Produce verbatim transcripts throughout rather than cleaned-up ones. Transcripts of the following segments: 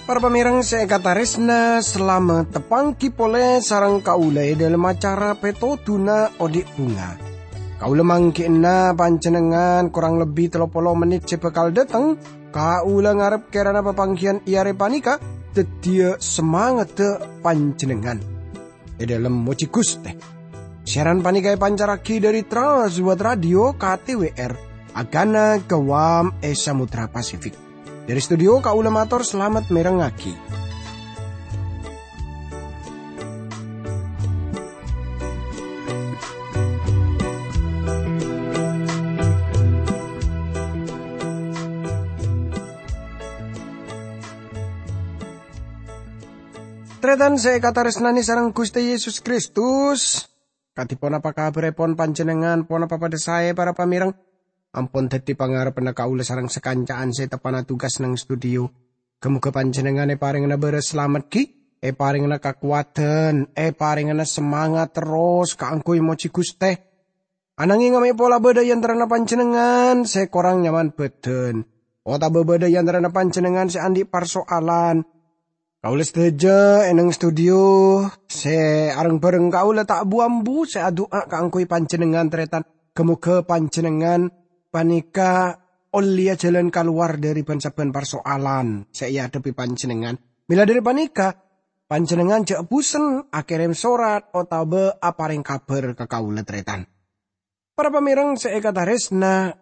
Para pamèreng sè èkatarèsna, salamet tapanggi polè sareng kaulâ è dhâlem acara Pètodhuna Odi' Bhunga. Kaulâ mangghi'na panjhennengngan korang lebbi tello polo mennit sè bhâkal dâteng. Kaulâ ngarep kèrana papangghiyân è arè panèka dhâddhiyâ samangaddhâ panjhennengngan è dhâlem mojhi Ghustè. Siaran panèka èpancarraghi dhâri Trans World Radio K T W R, Agana Guam è Samudra Pasifik. Dhâri studio kaulâ mator salamet mèrengngaghi. Tarètan sè èkatarèsnanè sareng Ghustè Yesus Kristus, kadhi ponapa kabhârèpon panjhennengngan? Ponapa padhâ saè, para pamèreng? Ampon dhâddhi pangarebbhânna kaulâ sareng sakanca'an sè teppa'na tugas neng studio. Ghâ-moghâ panjhennengngan èparèngana bârâs salamet ghi, èparèngana kakowadhân, èparèngana samangat terros kaangghuy mojhi Ghustè. Ananghing amè' pola bâdâ è antarana panjhennengngan sè korang nyaman bhâdhân, otabâ bâdâ è antarana panjhennengngan sè andi' parso'alan, kaulâ sadhâjâ è neng studio sè areng-bhâreng kaulâ ta' bu-ambu sè adu'a kaangghuy panjhennengngan, tarètan. Ghâ-moghâ panjhennengngan panèka ollèya jhâlân kalowar dhâri bân-sabbhân parso'alan sè èadhebbhi panjhennengngan. Mèla dhâri panèka, panjhennengngan jhâ' bhusen akèrèm sorat otabâ aparèng kabhâr ka kaulâ, tarètan. Para pamèreng sè èkatarèsna,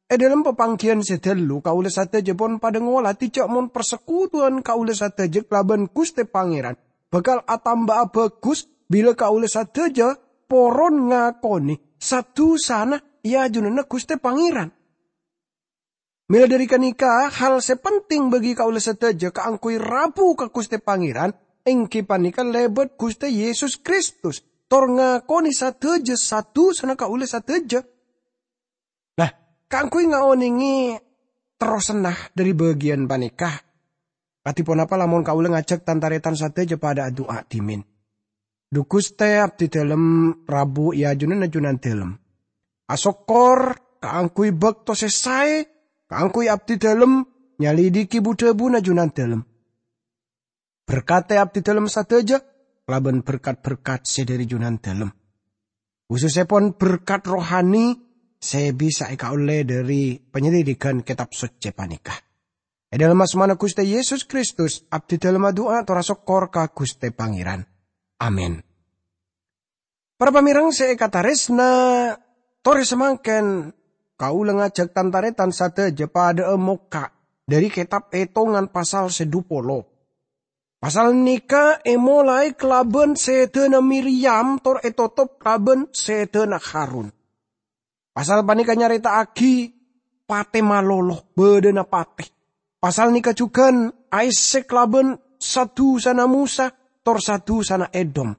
è dhâlem papangghiyân sè dhâllu, kaulâ sadhâjâ pon padhâ ngolatè jhâ' mon parsekutuwan kaulâ sadhâjâ kalabân Ghustè Pangèran bhâkal atamba'a bhâghus bilâ kaulâ sadhâjâ poron ngakonè sa-dusana è ajunanna Ghustè Pangèran. Mèla dhâri ghânèka, hal sè penting bagi kaulâ sadhâjâ kaangghuy rabu ka Ghustè Pangèran, èngghi panèka lèbât Ghustè Yesus Kristus, tor ngakonè sadhâjâ sa-dusana kaulâ sadhâjâ. Nah, kaangghuy ngaonèngè terrosanna dhâri bâgiyân panèka, kadhi ponapa lamon kaulâ ngajhâk tan-tarètan sadhâjâ padhâ adu'a dhimèn? Dhu Ghustè, abdhidhâlem rabu è ajunanna Junandhâlem. Asokkor kaangghuy bâkto sè saè kaangghuy abdhidhâlem nyalèdhighi bu-dhâbuna Junandhâlem. Berkatè abdhidhâlem sadhâjâ kalabân berkat-berkat sè dhâri Junandhâlem, khusussèpon berkat rohani sè bisa èkaollè dhâri panyalèdhighân Kètab Soccè panèka. È dhâlem asmana Ghustè Yesus Kristus, abdhidhâlem adu'a tor asokkor ka Ghustè Pangèran. Amin. Para pamèreng sè èkatarèsna, torè samangkèn kaulâ ngajhâk tan-tarètan sadhâjâ padhâ'â mokka' dhâri Kètab Ètongan pasal sè dhu polo. Pasal nèka èmolaè kalabân sèdhâna Miryam tor ètotop kalabân sèdhâna Harun. Pasal panèka nyarèta'aghi patè malolo, bâdâna patè. Pasal nèka jhughân aèssè kalabân sa-dusana Mosa tor sa-dusana Edom.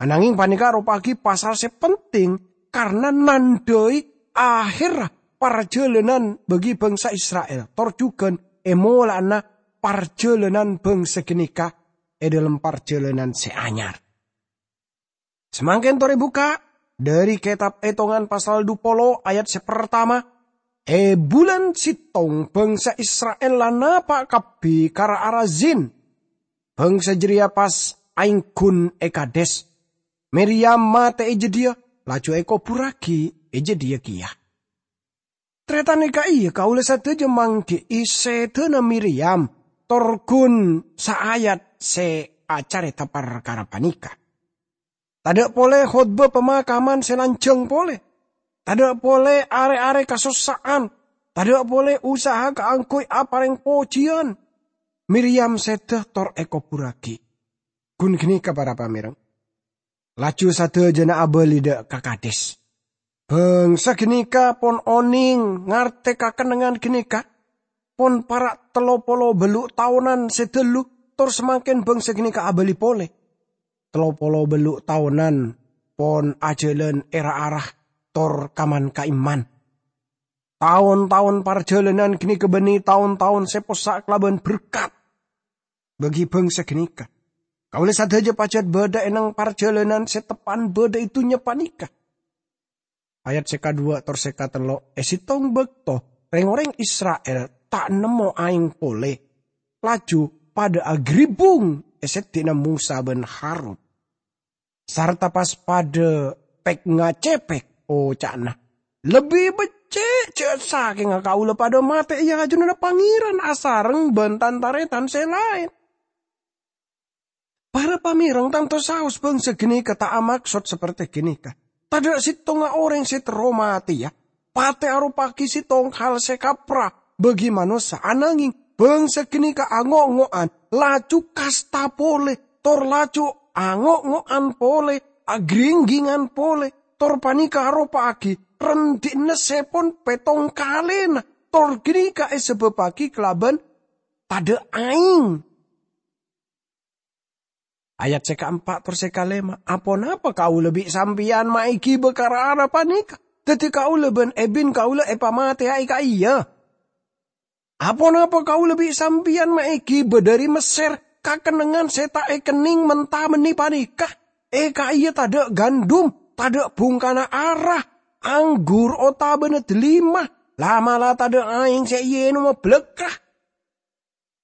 Ananghing panèka aropa'aghi pasal sè penting, karna nandhâi ahèrra parjhâlânan bagi bhângsa Isra'il, tor jhughân è mola'ana parjhâlânan bhângsa ghânèka è dhâlem parjhâlânan sè anyar. Samangkèn torè bukka' dhâri Kètab Ètongan pasal dhu polo ayat sè partama, "È bulân sèttong bhângsa Isra'il la napa' kabbhi ka ra-ara Zin. Bhângsa jârèya pas aèngghun è Kadès. Miryam matè è jâdiyâ, laju èkoburraghi è jâdiyâ kèya." Tarètan nèka iyâ kaulâ sadhâjâ mangghi'i sèdhâna Miryam, tor ghun saayat sè acarèta parkara panèka. Tadâ' polè khotbah pamakaman sè lanjhâng polè. Tadâ' polè arè-arè kasossa'an. Tadâ' polè usaha kaangghuy aparèng pojiyân. Miryam sèdhâ tor èkoburraghi. Ghun ghânèka, para pamèreng. Laju sadhâjâna abâli dâ' ka Kadès. Bhângsa ghânèka pon onèng ngartè kakennengngan ghânèka. Pon para' tello polo bâllu' taonan sè dhâllu, tor samangkèn bhângsa ghânèka abâli polè. Tello polo bâllu' taonan pon ajhâlân è ra-ara tor kaman-kaèman. Taon-taon parjhâlânan ghânèka bânnè taon-taon sè possa' kalabân berkat bagi bhângsa ghânèka. Kaulâ sadhâjâ pajhât bâdâ è neng parjhâlânan sè teppan bâdâ è dhunnya panèka. Ayat sè kadhuwâ' tor sè katello', è sèttong bâkto rèng-orèng Isra'il ta' nemmo aèng polè, laju padâ agribbung è sèddhina Mosa bân Harun. Sarta pas padâ pèk-ngacèpèk, oca'na, "Lebbi beccè' jhâ' sakènga kaulâ padâ matè è ajunanna Pangèran asareng bân tan-tarètan sè laèn." Para pamèrèng tanto saos bângsa ghânèka ta' amaksod saperte ghânèka. Tadâ' sèttonga orèng sè terro matèya. Patè aropa'aghi sèttong hal sè kapra bagi manossa, ananghing bângsa ghânèka ango'-ngo'an, laju kasta polè, tor laju ango'-ngo'an polè, agringghingan polè, tor panèka aropa'aghi rendhi'na sè pon pèttong kalèna, tor ghânèka èsabâbbhâghi kalabân tadâ' aèng. Ayat sè kaempa' tor sè kalèma, "Aponapa kaulâ bi' sampèyan ma' èghibâ ka ra-ara panèka? Daddi kaulâ bân èbin kaulâ èpamatèyaghi ka'iyâ? Aponapa kaulâ bi' sampèyan ma' èghibâ dhâri Messèr ka kennengngan sè ta' èkennèng menta bânnè panèka? È ka'iyâ tadâ' gandum, tadâ' bhungkana ara, anggur otabâna dâlima, la'-mala' tadâ' aèng sè èènoma bâlâkka'."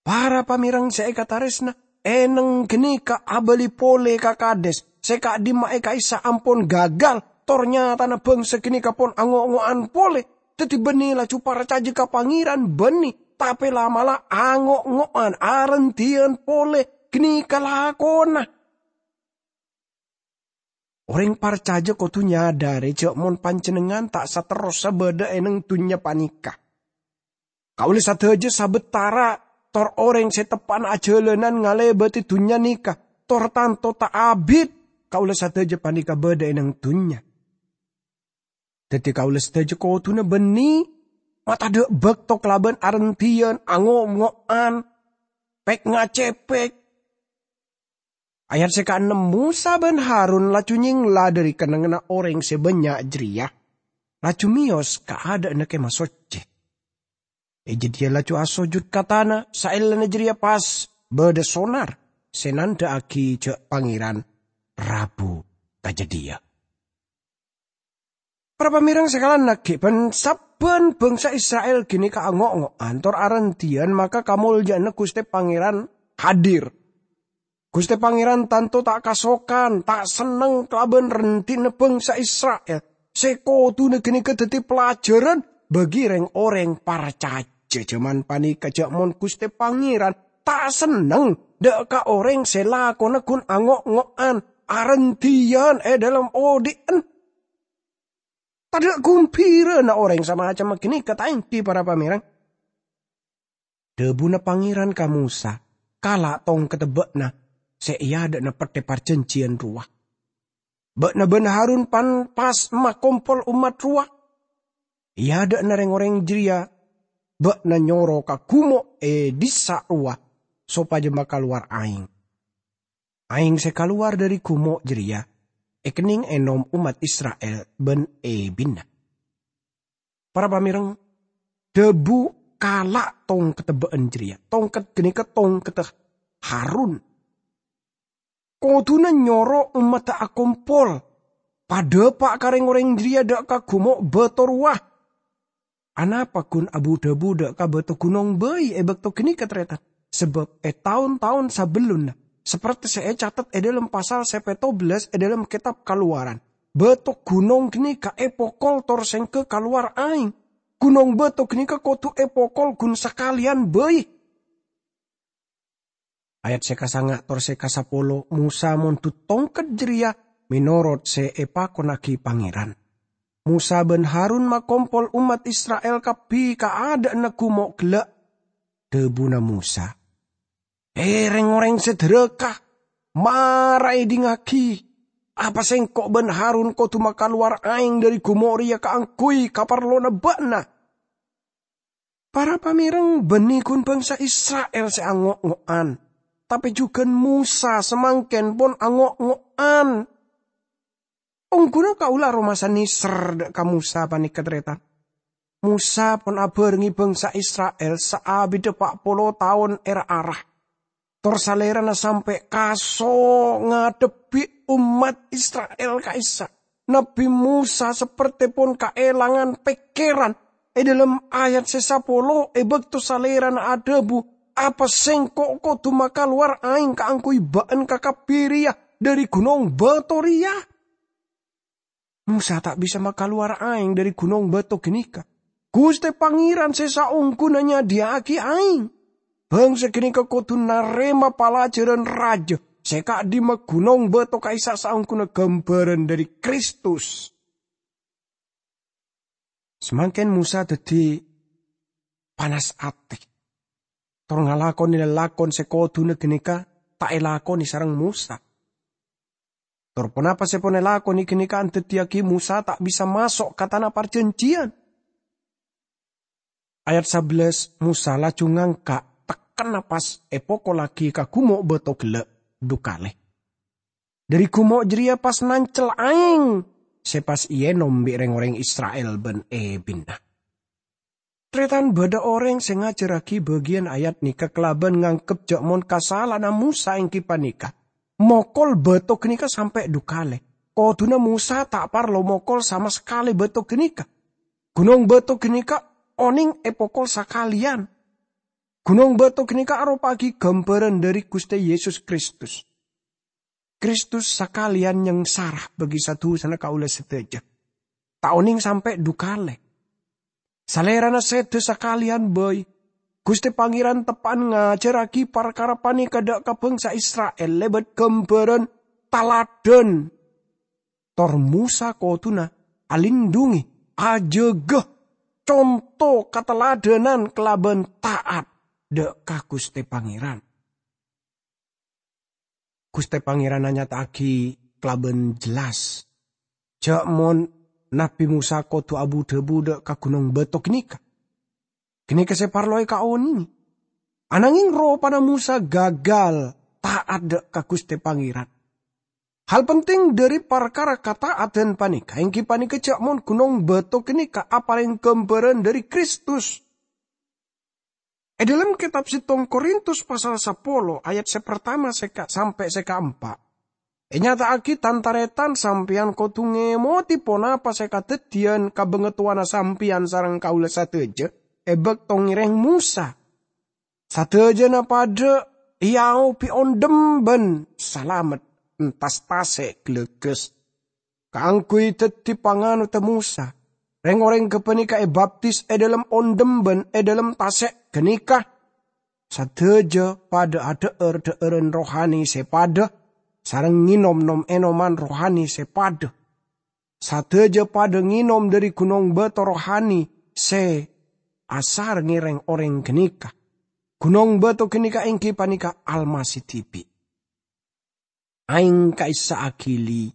Para pamèrèng sè èkatarèsna, è neng ghânèka abâli polè ka Kades, sè ka'dimma'a ka'issa' ampon gagal, tor nyatana bângsa ghânèka pon ango'-ngo'an polè. Daddi bânnè laju parcajâ ka Pangèran bânnè, tapè la'-mala' ango'-ngo'an arendhiyân polè ghânèka lakona. Orèng parcajâ kodhu nyadhâri jhâ' mon panjhennengngan ta' saterrossa bâdâ è neng dhunnya panèka. Kaulâ sadhâjâ sabâtara tor orèng sè teppa'na ajhâlânan ngalèbâdhi dhunnya nèka, tor tanto ta' abit kaulâ sadhâjâ panèka bâdâ è neng dhunnya. Daddi kaulâ sadhâjâ kodhuna bânnè matadâ' bâkto kalabân arendhiyân, ango'-ngo'an, pèk-ngacèpèk. Ayat sè kaennem, Mosa bân Harun laju nyèngla dhâri kennengnganna orèng sè bânnya' jârèya, laju mèyos ka adâ'na Kèma Soccè. È jâdiyâ laju asojud ka tana, saellana jârèya pas bâdâ sonar sè nandhâ'aghi jhâ' Pangèran rabu ka jâdiyâ. Para pamèrèng sè kalangkè, bân sabbhân bângsa Isra'il ghânèka ango'-ngo'an tor arendhiyân, maka kamoljâ'ânna Ghustè Pangèran hadir. Ghustè Pangèran tanto ta' kasokan, ta' senneng kalabân rendhi'na bângsa Isra'il, sè kodhuna ghânèka dhâddhi pelajaran bagi rèng-orèng parcajâ jhâman panèka, jhâ' mon Ghustè Pangèran ta' senneng dâ' ka orèng sè lakona ghun ango'-ngo'an, arendhiyân è dhâlem odi'en. Tadâ' ghumbhirana orèng samacemma ghânèka ta' èngghi, para pamèrèng. Dhâbuna Pangèran ka Mosa, "Kala' tongkedda bâ'na sè è adâ'na pettè parjhânjhiyân rowa. Bâ'na bân Harun pan pas makompol ommat rowa. È adâ'na rèng-orèng jârèya bâ'na nyoro ka gumo' è dissa' rowa sopajâ makalowar aèng. Aèng sè kalowar dhâri gumo' jârèya èkennèng ènom ommat Isra'il bân èbinna." Para pamèrèng, dhâbu "Kala' tongkedda bâ'na jârèya." Tongked ghânèka tongkedda Harun. Kodhuna nyoro ommadda akompol, padâpa' ka rèng-orèng jârèya dâ' ka gumo' bâto rowa. Anapa ghun abu-dhâbu dâ' ka bâto ghunong bhâi è bâkto ghânèka, tarètan? Sabâb è taon-taon sabellunna, saperte sè ècatet è dhâlem pasal sè pètto bellâs è dhâlem Kètab Kalowaran, bâto ghunong ghânèka èpokol tor sèngghâ kalowar aèng. Ghunong bâto ghânèka kodhu èpokol ghun sakalèyan bhâi. Ayat sè kasanga' tor sè kasapolo, Mosa mondhut tongked jârèya mènorot sè èpakonnaghi Pangèran. Mosa bân Harun makompol ommat Isra'il kabbhi ka adâ'na gumo' ghellâ'. Dhâbuna Mosa, "È, rèng-orèng sè dhârâka, mara èdingngaghi! Apa sèngko' bân Harun kodhu makalowar aèng dhâri gumo' rèya kaangghuy kaparlona bâ'na?" Para pamèrèng, bânnè ghun bângsa Isra'il sè ango'-ngo'an, tapè jhughân Mosa samangkèn pon ango'-ngo'an. Ongghuna kaulâ aromasa nèser dâ' ka Mosa panèka, tarètan. Mosa pon abhârengngè bângsa Isra'il saabiddhâ pa' polo taon è ra-ara. Tor Salèrana sampè' kaso ngadhebbhi ommat Isra'il ka'issa'. Nabbhi Mosa saperte pon kaèlangan pèkkèran. È dhâlem ayat sè sapolo, è bâkto Salèrana adhâbu, "Apa sengko' kodhu makalowar aèng kaangghuy bâ'ân kakabbhi rèya dhâri ghunong bâto rèya?" Mosa ta' bisa makalowar aèng dhâri ghunong bâto ghânèka. Ghustè Pangèran sè saongghuna nyadhiyâ'aghi aèng. Bhângsa ghânèka kodhu narèma palajhârân rajâ sè ka'dimma ghunong bâto ka'issa' saongghuna ghâmbhârân dhâri Kristus. Samangkèn Mosa dhâddhi panas atè, tor ngalakonè lalakon sè kodhuna ghânèka ta' èlakonè sareng Mosa. Tor ponapa sè pon èlakonè ghânèka andaddiyâghi Mosa ta' bisa maso' ka Tana Parjhânjhiyân? Ayat sabellâs, Mosa laju ngangka' tekkenna pas èpokollaghi ka gumo' bâto ghellâ' dhu kalè. Dhâri gumo' jârèya pas nancel aèng sè pas èènom bi' rèng-orèng Isra'il bân èbinna. Tarètan bâdâ orèng sè ngajhârraghi bâgiyân ayat nèka kalabân nganggep jâ' mon kasala'anna Mosa èngghi panèka mokol bâto ghânèka sampè' dhu kalè. Kodhuna Mosa ta' parlo mokol sama sakalè bâto ghânèka. Ghunong bâto ghânèka onèng èpokol sakalèyan. Ghunong bâto ghânèka aropa'aghi ghâmbhârân dhâri Ghustè Yesus Kristus. Kristus sakalèyan nyangsara bagi sa-dusana kaulâ sadhâjâ. Ta' onèng sampè' dhu kalè. Salèrana sèdhâ sakalèyan bhâi. Ghustè Pangèran teppa'an ngajhârraghi parkara panèka dâ' ka bhângsa Isra'il lèbât ghâmbhârân taladhân. Tor Mosa kodhuna alindhungè, ajâgâ, conto kataladhânan kalabân ta'at dâ' ka Ghustè Pangèran. Ghustè Pangèran anyata'aghi kalabân jelas jâ' mon Nabbhi Mosa kodhu abu-dhâbu dâ' ka ghunong bâto ghânèka. Ghânèka sè parlo èkaonèngè. Ananghing ropana Mosa gagal ta'at dâ' ka Ghustè Pangèran. Hal penting dhâri parkara kata'adan panèka èngghi panèka jâ' mon ghunong bâto ghânèka aparèng ghâmbhârân dhâri Kristus. È dhâlem kètab settong Korintus pasal sapolo ayat sè partama sè ka-, sampè' sè kaempa', ènyata'aghi, tan-tarètan, sampèyan kodhu ngèmodhi ponapa sè kadhâddhiyân ka bangatowana sampèyan sareng kaulâ sadhâjâ è bâkto ngèrèng Mosa. Sadhâjâna padâ èaobhi ondhem bân salamet entas tasè' ghâlâghâs. Kaangghuy dhâddhi panganotta Mosa, rèng-orèng ghâpanèka èbaptis è dhâlem ondhem bân è dhâlem tasè' ghânèka. Sadhâjâ padâ adhâ'âr dhâ'ârân rohani sè padâ, sareng ngènom nom-ènoman rohani sè padâ. Sadhâjâ padâ ngènom dhâri ghunong bâto rohani sè asarengngè rèng-orèng ghânèka. Ghunong bâto ghânèka èngghi panèka Almasih dhibi'. Aèng ka'issa' aghili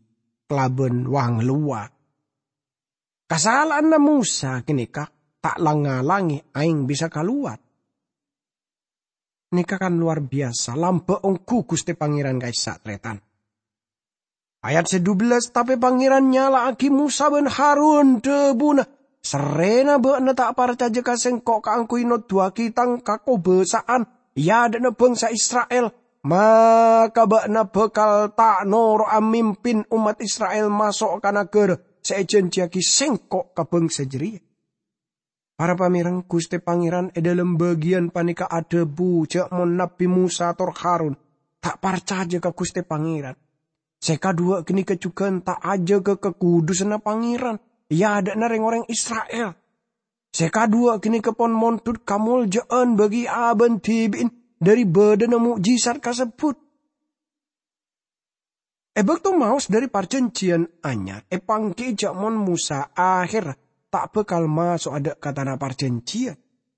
kalabân wangalowa. Kasala'anna Mosa ghânèka ta' lang-ngalangè aèng bisa kalowar. Nèka kan lowar biyasa, lambâ' ongghu Ghustè Pangèran ka'issa', tarètan. Ayat sè dubellâs, tapè Pangèran nyala'aghi Mosa bân Harun, dhâbuna, "Sarrèna bâ'na ta' parcajâ ka sèngko' kaangghuy noduwâghi tang kakobâsa'an è adâ'na bhângsa Isra'il, maka bâ'na bhâkal ta' noro'a mimpin ommat Isra'il maso' ka naghârâ sè èjhânjhiyâghi sèngko' ka bhângsa jârèya." Para pamèreng, Ghustè Pangèran è dhâlem bâgiyân panèka adhâbu jâ' mon Nabbhi Mosa tor Harun ta' parcajâ ka Ghustè Pangèran. Sè kaduwâ' ghânèka jhughân ta' ajâgâ kakudusânna Pangèran è adâ'na rèng-orèng Isra'il. Sè kaduwâ' ghânèka pon mondhut kamoljâ'ân bâgi abân dhibi'in dhâri bâdâna mo'jizat kasebbhut. È bâkto maos dhâri Parjhânjhiyân Anyar, èpangghi'i jâ' mon Mosa ahèrra ta' bhâkal maso'a dâ' ka Tana Parjhânjhiyân.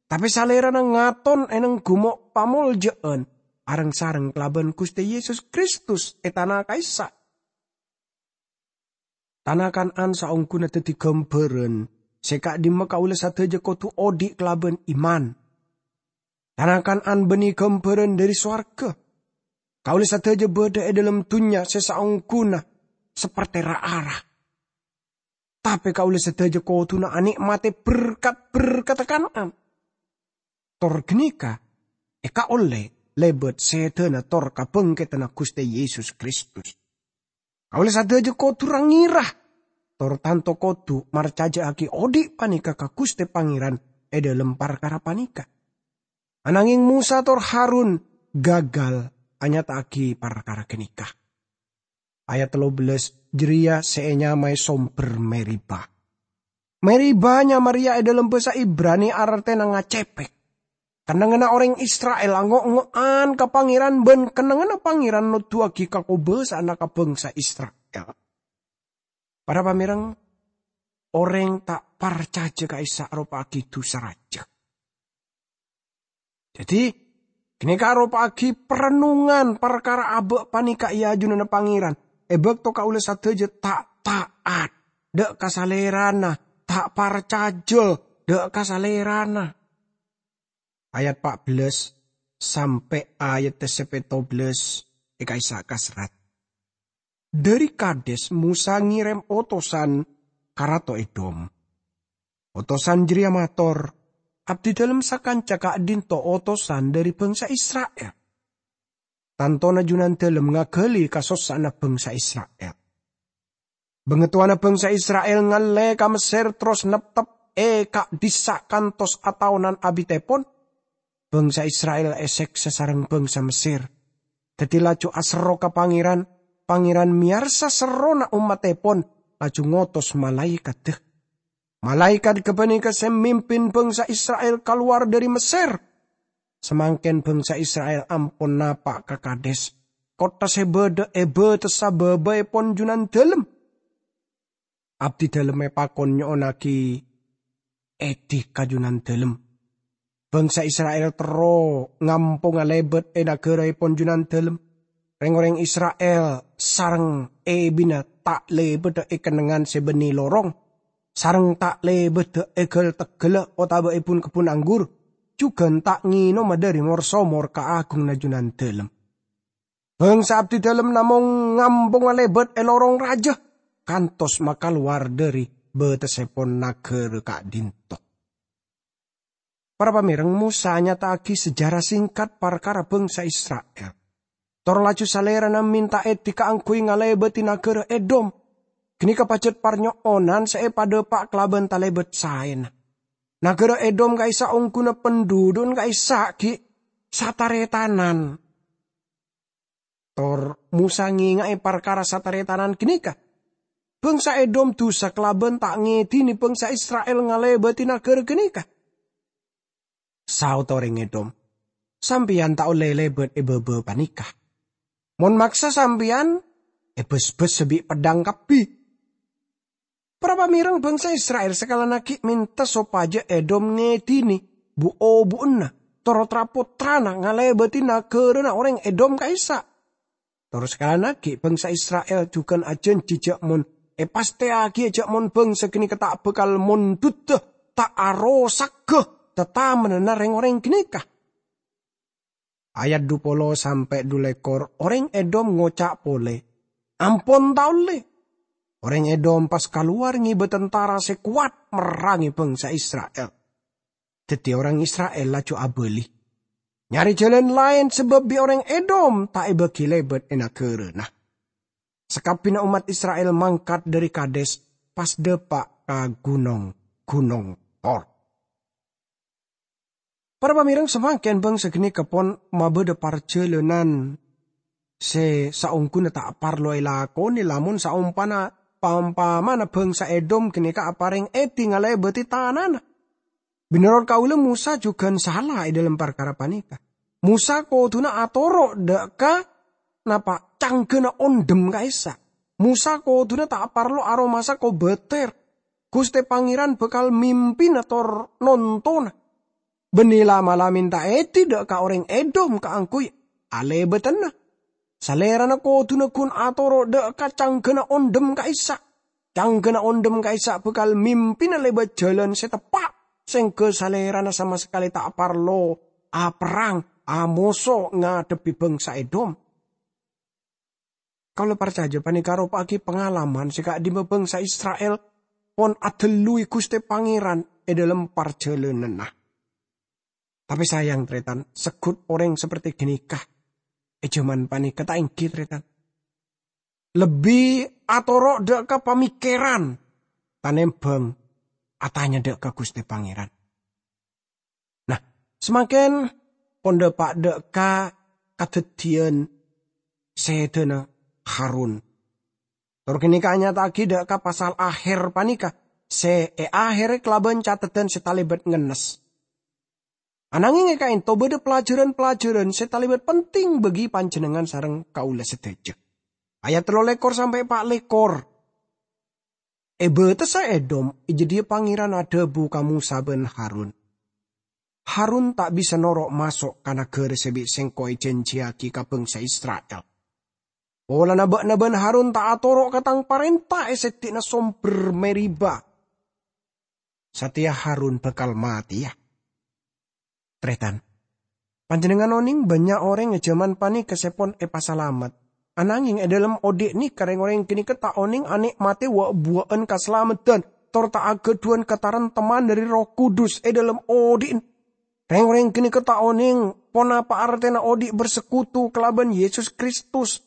Tapè Salèrana ngaton è nèng gumo' pamoljâ'ân areng-sareng kalabân Ghustè Yesus Kristus è tana ka'issa'. Tana Kan'an saongghuna dhâddhi ghâmbhârân sè ka'dimma kaulâ sadhâjâ kodhu odi' kalabân iman. Tana Kan'an bânnè ghâmbhârân dhâri sowarghâ. Kaulâ sadhâjâ bâdâ è dhâlem dhunnya sè saongghuna saperte ra-ara. Tapè kaulâ sadhâjâ kodhuna anè'matè berkat-berkatta Kan'an. Tor ghânèka èkaollè lèbât sèdhâna tor kabhângkèdhânna Ghustè Yesus Kristus. Kaulâ sadhâjâ kodhu ra-ngira, tor tanto kodhu marcajâ'aghi odi' panèka ka Ghustè Pangèran è dhâlem parkara panèka. Ananghing Mosa tor Harun gagal anyata'aghi parkara ghânèka. Ayat tello bellas, jârèya sè ènyamaè sombher Meriba. Meriba nyama rèya è dhâlem bhâsa Ibrani artèna ngacèpèk. Kennengnganna orèng Isra'il ango'-ngo'an ka Pangèran bân kennengnganna Pangèran noduwâghi kakobâsa'anna ka bhângsa Isra'il. Para pamèreng, orèng ta' parcajâ ka'issa' aropa'aghi dhusa rajâ. Dhâddhi, ghânèka aropa'aghi parennungan parkara abâ' panèka è ajunanna Pangèran. È bâkto kaulâ sadhâjâ ta' ta'at dhâ' ka Salèrana, ta' parcajâ dhâ' ka Salèrana. Ayat pa' bellas sampè' ayat sè pètto bellas è ka'issa' kaserrat. Dhâri Kades Mosa ngèrèm otosan ka Rato Edom. Otosan jârèya mator, "Abdidhâlem sakanca ka'dinto otosan dhâri bhângsa Isra'il. Tantona Junandhâlem ngaghâli kasossa'anna bhângsa Isra'il. Bângatowana bhângsa Isra'il ngallè ka Messèr terros neptep è ka'dhissa' kantos ataonan abitèpon. Bhângsa Isra'il èsèksa sareng bhângsa Messèr. Dhâddhi laju aserro ka Pangèran, Pangèran mèyarsa serrona ommattèpon, laju ngotos malaèkaddhâ. Malaèkat ghâpanèka sè mimpin bhângsa Isra'il kalowar dhâri Messèr. Samangkèn bhângsa Isra'il ampon napa' ka Kades, kottha sè bâdâ è bâtessa bâbâèpon Junandhâlem. Abdidhâlem èpakon nyo'onnaghi èdhi ka Junandhâlem. Bhângsa Isra'il terro ngamponga lèbât è naghâraèpon Junandhâlem. Rèng-orèng Isra'il sareng èbina ta' lèbâdhâ è kennengngan sè bânnè lorong, sareng ta' lèbâdhâ è ghâl-tegghâlla otabâ è bun-kebbun anggur, jhughân ta' ngènoma dhâri mor-somor kaagunganna Junandhâlem. Bhângsa Abdidhâlem namong ngamponga lèbât è lorong rajâ, kantos makalowar dhâri bâtessèpon naghârâ ka'dinto." Para pamèreng, Mosa nyata'aghi sejarah singkat parkara bhângsa Isra'il. Tor laju Salèrana mènta èdhi kaangghuy ngalèbâdhi naghârâ Edom. Ghânèka pajhât parnyo'onan sè èpadâpa' kalabân talèbât saèna. Naghârâ Edom ka'issa' ongghuna pandhudhu'na ka'issa' ghi' sataretanan. Tor Mosa ngènga'è parkara sataretanan ghânèka. "Bhângsa Edom dhusa kalabân ta' ngèdhinè bhângsa Isra'il ngalèbâdhi naghârâ ghânèka." Saodda orèng Edom, "Sampèyan ta' ollè lèbât è bâbâ panèka. Mon maksa sampèyan, èbâsbâsa bi' peddhâng kabbhi." Para pamèreng, bhângsa Isra'il sakalana ghi' mènta sopajâ Edom ngèdhinè bu-obu'na, tor tra-pottrana ngalèbâdhi naghârâna orèng Edom ka'issa'. Tor sakalana ghi' bhângsa Isra'il jhughân ajhânjhi jhâ' mon èpastèyaghiyâ jhâ' mon bhângsa ghânèka ta' bhâkal mondhudhâ, ta' arosagghâ tatamennanna rèng-orèng ghânèka. Ayat dupolo sampè' dulèkor, orèng Edom ngoca' polè, "Ampon ta' ollè." Orèng Edom pas kalowar ngèbâ tantara sè kowat merrangè bhângsa Isra'il. Dhâddhi orèng Isra'il laju abâli, nyarè jhâlân laèn sabâb bi' orèng Edom ta' èbâghi lèbât è naghârâna. Sakabbhiyânna ommat Isra'il mangkat dhâri Kades, pas dâpa' ka ghunong-ghunong Hor. Para pamèreng, samangkèn bhângsa ghânèka pon mabâdâ parjhâlânan sè saongghuna ta' parlo èlakonè lamon saompana, paompamana bhângsa Edom ghânèka aparèng èdhi ngalèbâdhi tanana. Mènorot kaulâ, Mosa jhughân sala è dhâlem parkara panèka. Mosa kodhuna atoro' dâ' ka napa cangghâna ondhem ka'issa'. Mosa kodhuna ta' parlo aromasa kobâtèr. Ghustè Pangèran bhâkal mimpina tor nontona. Bânnè la'-mala' mènta èdhi dâ' ka orèng Edom kaangghuy alèbâdhâna. Salèrana kodhuna ghun atoro' dâ' ka cangghâna ondhem ka'issa'. Cangghâna ondhem ka'issa' bhâkal mimpina lèbât jhâlân sè teppa', sèngghâ salèrana sama sakalè ta' parlo aperrang, amoso ngadhebbhi bhângsa Edom. Kaulâ parcajâ panèka aropa'aghi pangalaman sè ka'dimma bhângsa Isra'il pon adhelluwi Ghustè Pangèran è dhâlem parjhâlânanna. Tapè sayang, tarètan, segghut orèng saperti ghânèka è jhâman panèka ta' èngghi, tarètan. Lebbi atoro' dâ' ka pamèkkèran tanèmbhâng atanya dâ' ka Ghustè Pangèran. Nah, samangkèn pon dâpa' dâ' ka kadhâddhiyân sèdhâna Harun. Tor ghânèka anyata'aghi dâ' ka pasal akhèr panèka sè èakhèrè kalabân cateddhân sè talèbât ngennes. Ananghing è ka'ènto bâdâ pelajaran-pelajaran sè talèbât penting bagi panjhennengngan sareng kaulâ sadhâjâ. Ayat tello lèkor sampè' pa' lèkor. È bâtessa Edom, è jâdiyâ Pangèran adhâbu ka Mosa bân Harun, "Harun ta' bisa noro' maso' ka naghârâ sè bi' sèngko' èjhânjhiyaghi ka bhângsa Isra'il. Polana bâ'na bân Harun ta' atoro' ka tang parènta è seddi'na sombher Meriba. Satèya Harun bhâkal matèya." Tarètan, panjhennengngan onèng bânnya' orèng è jhâman panèka sè pon èpasalamet. Ananghing è dhâlem odi' nèka rèng-orèng ghânèka ta' onèng anè'matè wa'-buwâ'ân kasalameddhân, tor ta' aghâdhuwân kataremtemman dhâri Erroh Kudus è dhâlem odi'na. Rèng-orèng ghânèka ta' onèng ponapa artèna odi' bersekutu kalabân Yesus Kristus.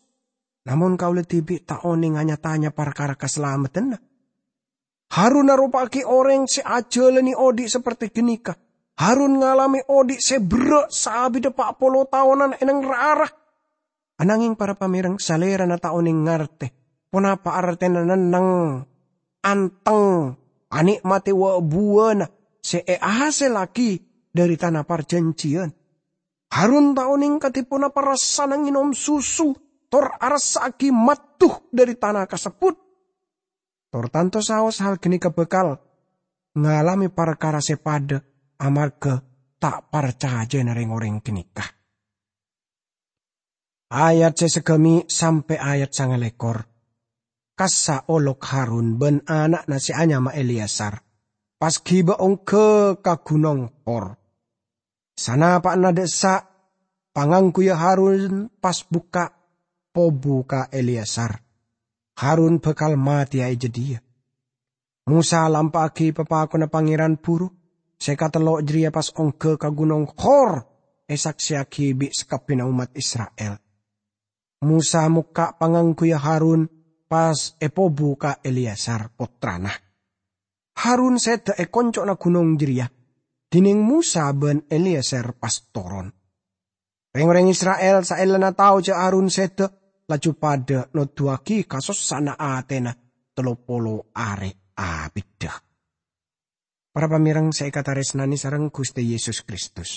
Namong kaulâ dhibi' ta' onèng nya-tanya parkara kasalameddhânna. Harun aropa'aghi orèng sè ajhâlânè odi' saperti ghânèka. Harun ngalamè odi' sè berrâ' saabidda pa' polo taonan è neng ra-ara. Ananghing para pamèreng, salèrana ta' onèng ngartè ponapa artèna nenneng, anteng, anè'matè wa'-buwâ'ân sè èhasèllaghi dhâri tana parjhânjhiyân. Harun ta' onèng kadhi ponapa rassana ngènom susu tor arassa'aghi maddhu dhâri tana kasebbhut. Tor tanto saos hal ghânèka bhâkal ngalamè parkara sè padâ amarghâ ta' parcajâna rèng-orèng ghânèka. Ayat sè saghâmè' sampè' ayat sangalèkor. Kassa' olok Harun bân ana'na sè anyama Eleazar pas ghibâ ongghâ ka Ghunong Hor. Sanapa'na dâ' essa', pangangguya Harun pas bukka' pobu ka Eleazar. Harun bhâkal matèya è jâdiyâ. Mosa lampa'aghi papakonna Pangèran buru sè katello' jârèya pas ongghâ ka Ghunong Hor èsaksèyaghi bi' sakabbhiyânna ommat Isra'il. Mosa mokka' pangangguya Harun pas èpobu ka Eleazar, pottrana. Harun sèdhâ è konco'na ghunong jârèya, dhinèng Mosa bân Eleazar pas toron. Rèng-orèng Isra'il saellana tao jâ' Harun sèdhâ, laju padâ noduwâghi kasossa'anna atèna tello polo arè abiddhâ. Para pamèreng sè èkatarèsnanè sareng Ghustè Yesus Kristus,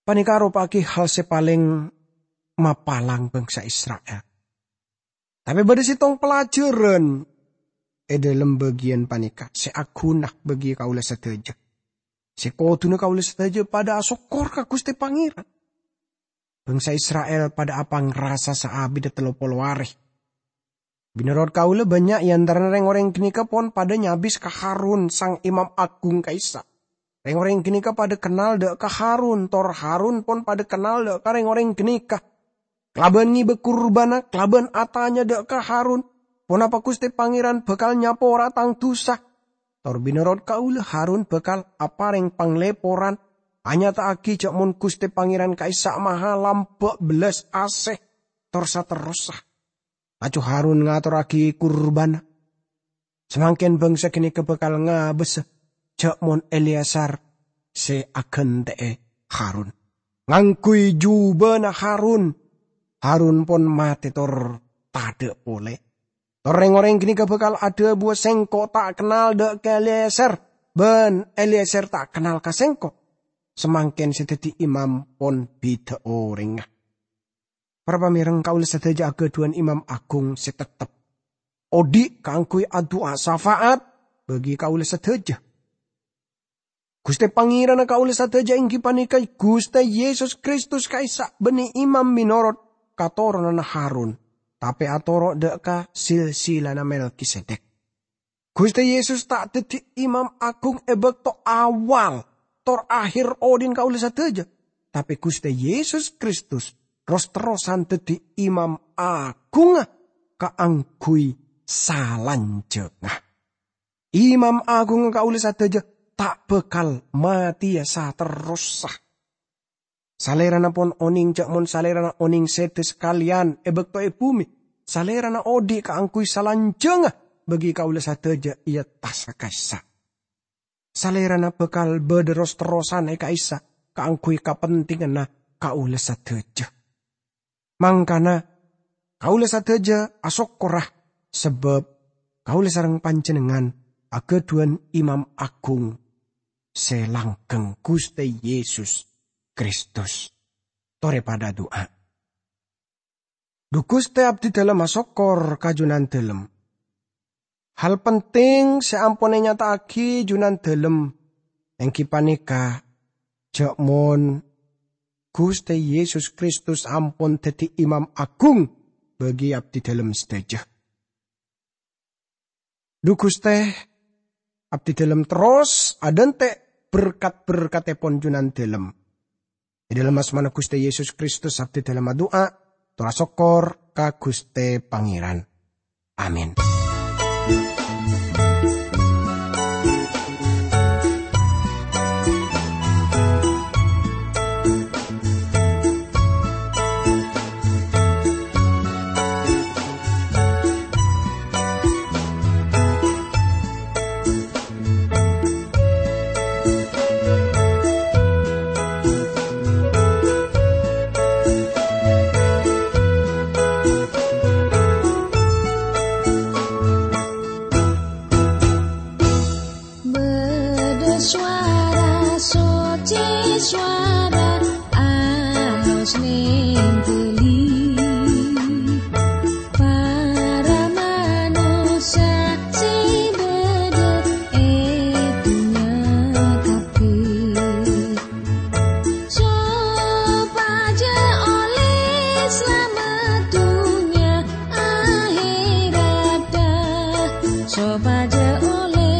panèka aropa'aghi hal sè palèng mapalang bhângsa Isra'il. Tapè bâdâ sèttong pelajaran è dhâlem bâgiyân panèka sè aghuna bagi kaulâ sadhâjâ, sè kodhuna kaulâ sadhâjâ padâ asokkor ka Ghustè Pangèran. Bhângsa Isra'il padâ apangrasa saabiddhâ tello polo arè. Mènorot kaulâ, bânnya' è antarana rèng-orèng ghânèka pon padâ nyabis ka Harun, sang imam aghung ka'issa'. Rèng-orèng ghânèka padâ kennal dâ' ka Harun, tor Harun pon padâ kennal dâ' ka rèng-orèng ghânèka. Kalabân ngibâ kurbânna, kalabân atanya dâ' ka Harun, "Ponapa Ghustè Pangèran bhâkal nyapora tang dhusa?" Tor mènorot kaulâ, Harun bhâkal aparèng panglèporan, anyata'aghi jâ' mon Ghustè Pangèran ka'issa' maha lambâ' bellas asè, tor saterrossa. Laju Harun ngatorraghi kurbânna. Samangkèn bhângsa ghânèka bhâkal ngabâsa jâ' mon Eleazar sè aghântè'è Harun. Ngangghuy jubâna Harun, Harun pon matè tor tadâ' polè. Tor rèng-orèng ghânèka bhâkal adhâbuwâ, "Sèngko' ta' kennal dâ' ka Eleazar, bân Eleazar ta' kennal ka sèngko'." Samangkèn sè dhâddhi imam pon bhidhâ orèngnga. Para pamèreng, kaulâ sadhâjâ aghâdhuwân imam aghung sè tettep odi' kaangghuy adu'a syafaat bagi kaulâ sadhâjâ. Ghustè Pangèranna kaulâ sadhâjâ èngghi panèka Ghustè Yesus Kristus ka'issa', bânnè imam mènorot katoronanna Harun, tapè atoro' dâ' ka silsilana Melkisedek. Ghustè Yesus ta' dhâddhi imam aghung è bâkto awal tor akhèr odi'na kaulâ sadhâjâ, tapè Ghustè Yesus Kristus ros-terrosan dhâddhi imam aghungnga kaangghuy salanjhângnga. Imam aghungnga kaulâ sadhâjâ ta' bhâkal matèya saterrossa. Salèrana pon onèng jhâ' mon Salèrana onèng sèdhâ sakalèyan è bâkto è bhumè, Salèrana odi' kaangghuy salanjhângnga bagi kaulâ sadhâjâ è attassa ka'issa'. Salèrana bhâkal bâdâ ros-terrosan è ka'issa' kaangghuy kapentinganna kaulâ sadhâjâ. Mangkana, kaulâ sadhâjâ asokkorra, sabâb kaulâ sareng panjhennengngan aghâdhuwân Imam Aghung sè langghâng, Ghustè Yesus Kristus. Torè padâ adu'a. Dhu Ghustè, abdhidhâlem asokkor ka Junandhâlem. Hal penting sè ampon ènyata'aghi Junandhâlem èngghi panèka jhâ' mon Ghustè Yesus Kristus ampon dhâddhi Imam Aghung bagi abdhidhâlem sadhâjâ. Dhu Ghustè, abdhidhâlem terros adhânte' berkat-berkattèpon Junandhâlem. È dhâlem asmana Ghustè Yesus Kristus abdhidhâlem adu'a, tor asokkor ka Ghustè Pangèran. Amin. Bâdâ sowara soccè, sowara alos nèng ghâlli. Para manossa sè bâdâ è dhunnya kabbhi, sopajâ ollè salamet dhunnya ahèratta, sopajâ ollè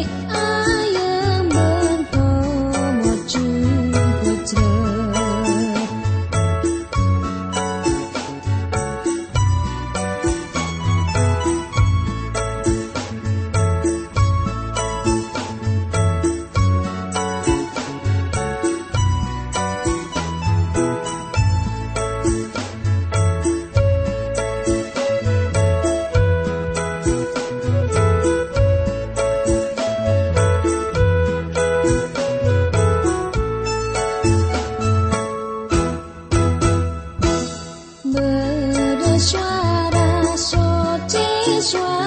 ayèm bân pomoju pojhâ. Bâdâ sowara soccè, sowara